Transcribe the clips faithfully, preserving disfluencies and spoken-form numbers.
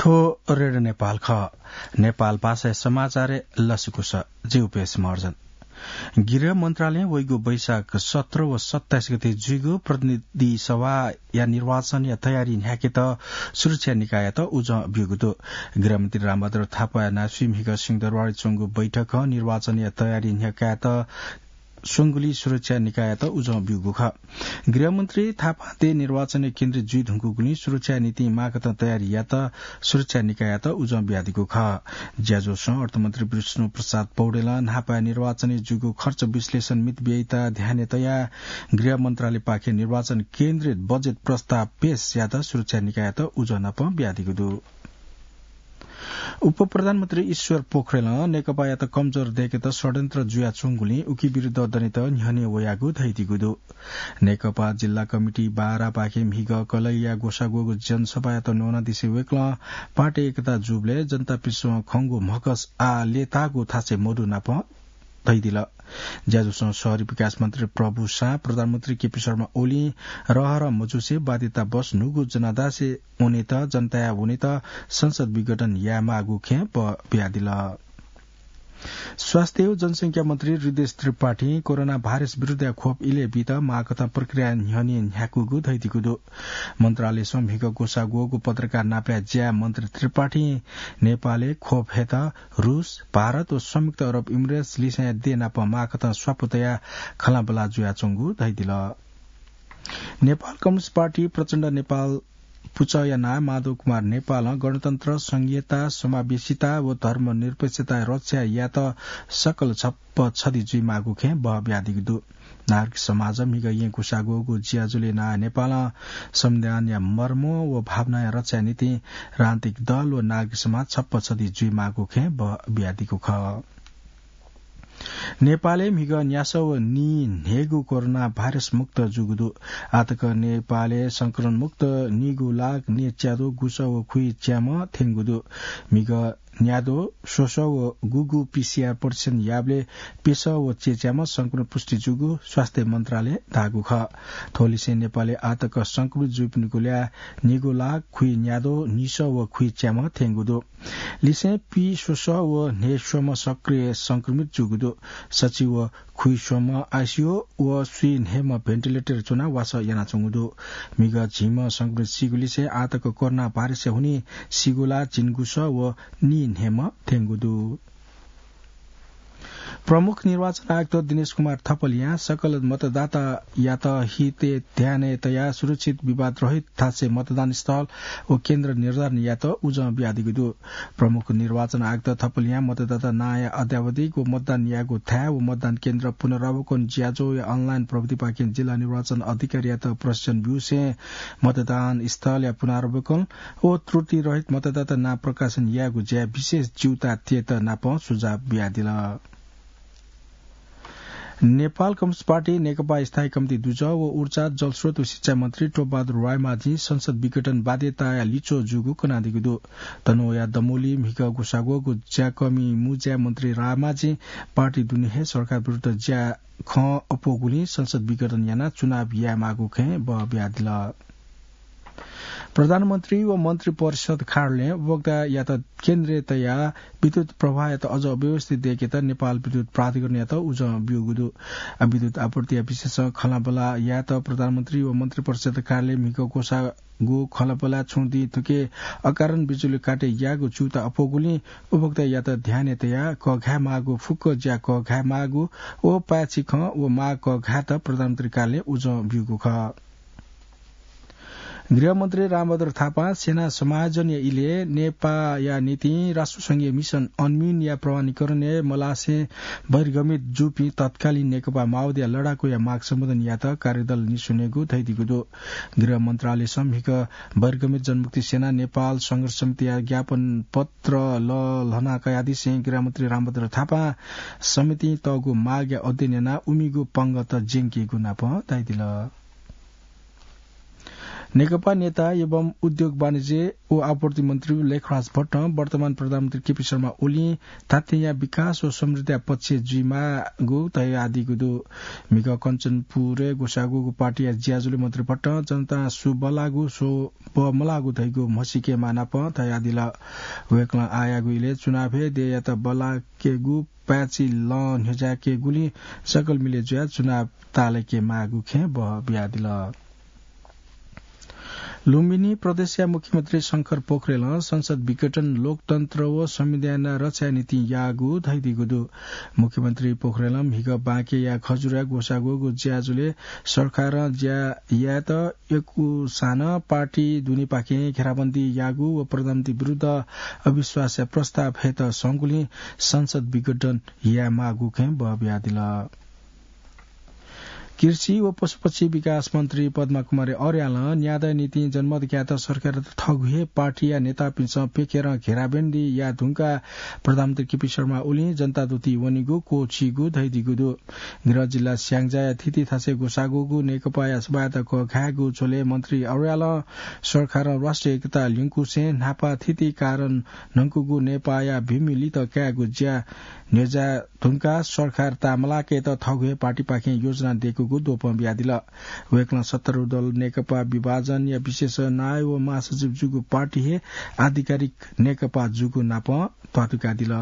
थ्व रेडियो नेपाल खः। नेपाल भाषाया समाचारय् लसकुस, जि उपेश महर्जन। गृह मन्त्रालयं वइगु वैशाख सत्र व सत्ताइस गते जुइगु प्रतिनिधि सभाया निर्वाचनया तयारी न्ह्याकेत सुरक्षा निकाययात उजं ब्यूगु दु। गृहमन्त्री रामबहादुर थापाया नासुइ म्हिगः सिंहदरबारय् च्वंगु बैठकं निर्वाचनया तयारी न्ह्याकेत स्वंगुलिं सुरक्षा निकाययात उजं ब्यूगु खः। गृहमन्त्री थापां देय् निर्वाचनय् केन्द्रित जुइ धुंकूगुलिं सुरक्षाया निंतिं माःकथं तयारी यायेत सुरक्षा निकाययात उजं बियादीगु खः। ज्याझ्वलय् अर्थमन्त्री विष्णु प्रसाद पौडेलं न्हापाया निर्वाचनय् जूगु खर्च विश्लेषण मित व्ययिता ध्यानय् तयाः गृह मन्त्रालयपाखें निर्वाचन केन्द्रित बजेट प्रस्ताव पेश यायेत सुरक्षा निकाययात उजं नाप बियादीगु दु। उपप्रधानमन्त्री ईश्वर पोखरेलं नेकपायात कमजोर दय्केत षड्यन्त्र जुयाच्वंगुलिं उकी विरुद्ध दनेत न्ह्यःने वयागु धयादीगु दु। नेकपा जिल्ला कमिटी बारापाखें म्हिगः कलैया ग्वसाः ग्वःगु जनसभायात न्वनादिसे वय्कलं पार्टी एकता जूबलय् जनतापिसं खंगु म्हकस आः लय्ताःगु थासय् मदु नाप धयादिल। ज्याझ्वलय् शहरी विकास मन्त्री प्रभु सां, प्रधानमन्त्री केपी शर्मा ओलीं रहर मजूसे बाध्यतावश न्हूगु जनादेशय् वनेत, जनताया वनेत संसद विघटन यायेमाःगु खँय् बः बियादिल। स्वास्थ्य व जनसंख्या मन्त्री हृदेश त्रिपाठीं कोरोना भाइरस विरुद्धया खोप इलय् बीत माःकथं प्रक्रिया न्ह्यःने न्ह्याकूगु धयादीगु दु। मन्त्रालयसं म्हिगः ग्वसाः ग्वःगु पत्रकार नापया ज्याय् मन्त्री त्रिपाठीं नेपालय् खोप हयेत रूस, भारत व संयुक्त अरब इमिरेट्स लिसेंया देय् नाप माःकथं स्वापू तयाः खँल्हाबल्हा जुयाच्वंगु धयादिल। नेपाल कम्युनिस्ट पार्टी प्रचण्ड नेपाल पुचःया नां माधव कुमार नेपालं गणतन्त्र, संघीयता, समावेशिता व धर्मनिरपेक्षता रक्षा यायेत सकल छप्पा छधी जुइमाःगु खँय् बः बियादीगु दु। नागरिक समाजं म्हिगः येँ ग्वसाः ग्वःगु ज्याझ्वलय् नां नेपालं संविधानया मर्म व भावनाया रक्षाया निंतिं राजनीतिक दल व नागरिक समाज छप्पा छधी जुइमाःगु खँय् बः बियादीगु खः। नेपालय् म्हिगः न्यासः व नीन्हय्गु कोरोना भाइरस मुक्त जूगु दु। आःतक नेपालय् संक्रमण मुक्त नीगू लाख न्यय्च्याद्वः गुसः व खुइच्याम्ह थ्यंगु दु। म्हिगः न्याद्वः स्वसः व गुगू पीसीआर परीक्षण याःबलय् प्यसः व चय्च्याम्ह संक्रमित पुष्टि जूगु स्वास्थ्य मन्त्रालयं धाःगु खः। थ्वलिसें नेपालय् आःतक संक्रमित जूपिनिगु ल्याः नीगू लाख खुइन्याद्वः नीसः व खुइच्याम्ह थ्यंगु दु। लिसें पीस्वसः व न्हय्स्वम्ह सक्रिय संक्रमित जूगु दु। सच्छि व खुइस्वम्ह आइसीयू व स्वीन्हय्म्ह भेन्टिलेटरय् च्वनाः वासः यानाच्वंगु दु। म्हिगः झिंम्ह संक्रमित सीगु लिसें आःतक कोरोना भाइरसया हुनिं सीगु ला झिंगुसः व नीन्हय्म्ह थ्यंगु दु। प्रमुख निर्वाचन आयुक्त दिनेश कुमार थपलियां सकल मतदातायात हितय् ध्यानय् तयाः सुरक्षित विवाद रहित थासय् मतदान स्थल व केन्द्र निर्धारण यायेत उजं बियादीगु दु। प्रमुख निर्वाचन आयुक्त थपलियां मतदाता नांया अद्यावधिक व मतदान यायेगु थाय् व मतदान केन्द्र पुनरावलोकन ज्याझ्वःया अनलाइन प्रविधिपाखें जिल्ला निर्वाचन अधिकारीयात प्रशिक्षण ब्यूसें मतदान स्थलया पुनरावलोकन व त्रुटि रहित मतदाता नां प्रकाशन यायेगु ज्याय् विशेष ज्यूता तयेत नापं सुझाव बियादिल। नेपाल कम्युनिस्ट पार्टी नेकपा स्थायी कमिटी दुजः व ऊर्जा, जलस्रोत व शिक्षा मन्त्री टोपबहादुर रायमाझीं संसद विघटन बाध्यताया लिच्वः जूगु कनादीगु दु। तनहुँया दमौली म्हिगः ग्वसाः ग्वःगु ज्याकःमि मुँज्या मन्त्री रायमाझीं पार्टी दुने हे सरकार विरुद्ध ज्या खँ अप्वःगुलिं संसद विघटन यानाः चुनाव यायेमाःगु खँय् बः बियादिल। प्रधानमन्त्री व मन्त्री परिषद कार्यालयं उपभोक्तायात केन्द्रय् तयाः विद्युत प्रवाहयात अझ अव्यवस्थित दय्केत नेपाल विद्युत प्राधिकरणयात उजं ब्यूगु दु। विद्युत आपूर्तिया विषयसं खँल्हाबल्हा यायेत प्रधानमन्त्री व मन्त्री परिषद कार्यालयं म्हिगः ग्वसाःगु खँल्हाबल्हाया छुं दिं थुकी अकारण बिजुली काटे याःगु च्यूता अप्वःगुलिं उपभोक्तायात ध्यानय् तयाः कःघायेमाःगु फुक्क ज्या कःघायेमाःगु व पाय्छि खँ व माग कःघायेत प्रधानमन्त्री कार्यालयं उजं ब्यूगु खः। गृहमन्त्री रामबहादुर थापां सेना समायोजनया इलय् नेपाःया निंतिं राष्ट्रसंघीय मिसन अनमिनया प्रमाणीकरणय् मलासें बहिर्गमित जूपिं तत्कालीन नेकपा माओवादीया लडाकुया माग सम्बोधन यायेत कार्यदल निस्वनेगु धयादीगु दु। गृह मन्त्रालयसं म्हिगः बहिर्गमित जनमुक्ति सेना, नेपाल संघर्ष समितिया ज्ञापन पत्र लःल्हाना कयादिसें गृहमन्त्री रामबहादुर थापां समितिं तःगु मागया अध्ययन यानाः उमिगु पंगत ज्यंकीगु नापं धयादिल। नेकपा नेता एवं उद्योग, वाणिज्य व आपूर्ति मन्त्री लेखराज भट्टं वर्तमान प्रधानमन्त्री केपी शर्मा ओलीं धात्थेंया विकास व समृद्धिया पक्ष जुइमाःगु धयादीगु दु। म्हिगः कञ्चनपुरय् ग्वसाःगु पार्टीया ज्याझ्वलय् मन्त्री भट्टं जनतां सु बल्लाःगु, सु बमलाःगु धइगु म्हसीकेमाः नाप धयादिल। वय्कलं आःयागु इलय् चुनावय् देय्‌यात बल्लाकेगु पाय्‌छि लँ न्ह्यज्याकेगुलिं सकल मिले जुयाः चुनाव ताःलाकेमाःगु खँय् बहः बियादिल। लुम्बिनी प्रदेशया मुख्यमन्त्री शंकर पोखरेलं संसद विघटन, लोकतन्त्र व संविधान रक्षाया निंतिं याःगु धयादीगु दु। मुख्यमन्त्री पोखरेलं म्हिगः बाँकेया खजुराय् ग्वसाःगु ज्याझ्वलय् सरकारं ज्या यायेत यक्वसानं पार्टी दुनेपाखें घेराबन्दी याःगु व प्रधानमन्त्री विरुद्ध अविश्वासया प्रस्ताव हयेत संगुलिं संसद विघटन यायेमाःगु खँय् बहः बियादिल। कृषि व पशुपक्षी विकास मन्त्री पद्मा कुमारी अर्यालं न्यादँया निंतिं जनमत ग्यायेत सरकारयात थःगु हे पार्टीया नेतापिन्सं प्यखेरं घेराबन्दी याये धुंकाः प्रधानमन्त्री केपी शर्मा ओलीं जनता द्यःति वनेगु क्वःछिइगु धयादीगु दु। गृह जिल्ला स्याङ्जाया थीथी थासय् ग्वसाःगु नेकपाया सभायात कःघायेगु झ्वलय् मन्त्री अर्यालं सरकारं राष्ट्रिय एकता ल्यंकुसें न्हापा थीथी कारण न्हंकूगु नेपाःया भूमि लित कायेगु ज्या न्ह्यज्याये धुंकाः सरकार ताःमलाकेत थःगु हे पार्टीपाखें योजना दयेकूगु द्वपं बियादिल। वय्कलं सत्तारूढ दल नेकपा विभाजनया विशेष नायः व महासचिव जूगु पार्टी हे आधिकारिक नेकपा जूगु नाप ध्वाथुइकादिल।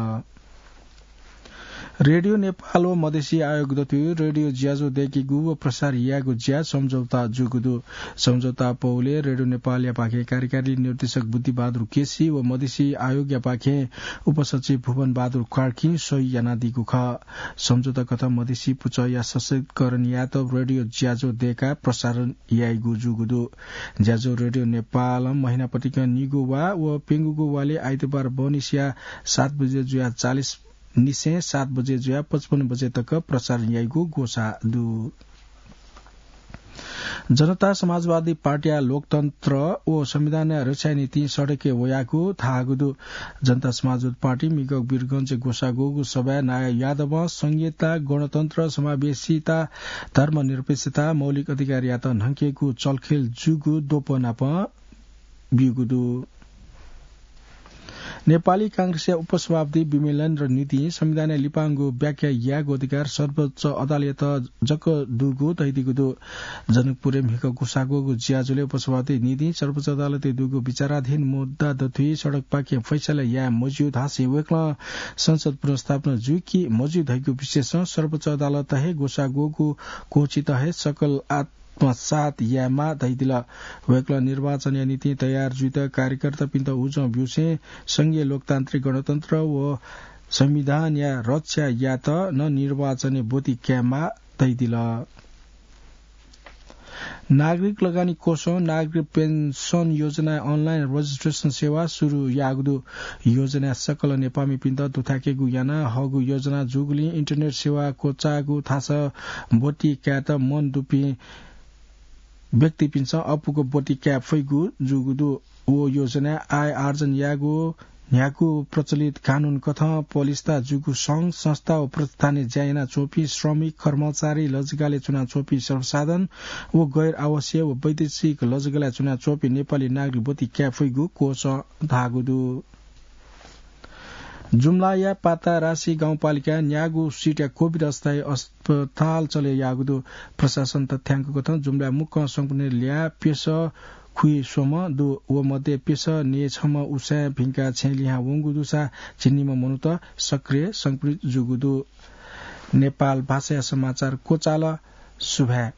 रेडियो नेपाल व मधेसी आयोग दथुइ रेडियो ज्याझ्वः दयेकेगु व प्रसार यायेगु ज्या सम्झौता जूगु दु। सम्झौता पौलय् रेडियो नेपालयापाखें कार्यकारी निर्देशक बुद्धिबहादुर केसी व मधेसी आयोगयापाखें उपसचिव भुवनबहादुर कार्कीं सही यानादीगु खः। सम्झौता कथं मधेसी पुचःया सशक्तिकरण यायेत रेडियो ज्याझ्वः दयेकाः प्रसारण याइगु जूगु दु। ज्याझ्वः रेडियो नेपालं महिनापतिकं निगू वा व प्यंगूगु वालय् आइतबार बहनिसिया सात बजे जुयाः चालिस निसें सात बजे जुयाः पचपन्न बजे तक प्रसारण याइगु ग्वसाः दु। जनता समाजवादी पार्टीया लोकतन्त्र व संविधानया रक्षाया निंतिं सडकय् वयागु धाःगु दु। जनता समाजवादी पार्टी म्हिगः वीरगंजय् ग्वसाःगु सभाय् नायः यादवं संघीयता, गणतन्त्र, समावेशिता, धर्मनिरपेक्षता, मौलिक अधिकारयात न्हंकेगु चलखेल जूगु द्वपं नाप ब्यूगु दु। नेपाली कांग्रेसया उपसभापति विमलेन्द्र निधिं संविधानया लिपांगु व्याख्या यायेगु अधिकार सर्वोच्च अदालतयात जक दुगु धयादीगु दु। जनकपुरय् म्हिगः ग्वसाःगु ज्याझ्वलय् उपसभापति निधिं सर्वोच्च अदालतय् दुगु विचाराधीन मुद्दा दथुइ सडकपाखें फैसला याये मज्यू धासें वय्कलं संसद पुनर्स्थापना जुइ कि मज्यू धइगु विषयसं सर्वोच्च अदालतं हे ग्वसाःगु क्वःछित हे सकल आत त्वसात यायेमाः धयादिल। वय्कलं निर्वाचनया निंतिं तयार जुइत कार्यकर्तापिन्त उजं ब्यूसें संघीय लोकतान्त्रिक गणतन्त्र व संविधानया रक्षा यायेत नं निर्वाचनय् ब्वति कायेमाः धयादिल। नागरिक लगानी कोषं नागरिक पेन्सन योजनाया online registration सेवा सुरु याःगु दु। योजनाय् सकल नेपाःमिपिन्त दुथ्याकेगु यानाः हःगु योजना जूगुलिं internet सेवा क्वचाःगु थासः ब्वति कायेत मन दुपिं व्यक्तिपिन्सं अप्वःगु ब्वति काये फइगु जूगु दु। व योजनाय् आय आर्जन यायेगु न्ह्यागु प्रचलित कानून कथं पलिस्था जूगु संघ, संस्था व प्रतिष्ठानय् ज्या यानाच्वंपिं श्रमिक, कर्मचारी, लजिगालय् च्वनाच्वंपिं सर्वसाधारण व गैर आवासीय व वैदेशिक लजिगालय् च्वनाच्वंपिं नेपाली नागरिक ब्वति काये फइगु कोषं धाःगु दु। जुम्लाया पातारासी गाउँपालिकाय् न्यागू सिटया कोभिड अस्थायी अस्पताल चले याःगु दु। प्रशासन तथ्याङ्क कथं जुम्लाय् मुक्कं संक्रमित ल्याः प्यसः खुइस्वम्ह दु। व मध्ये प्यसः न्यय्छम्ह उसाँय् भिंकाः छेँय् लिहां वंगु दुसा झिंनिम्ह मनूत सक्रिय संक्रमित जूगु दु। नेपाल भाषाया समाचार क्वचाल। सुभाय्।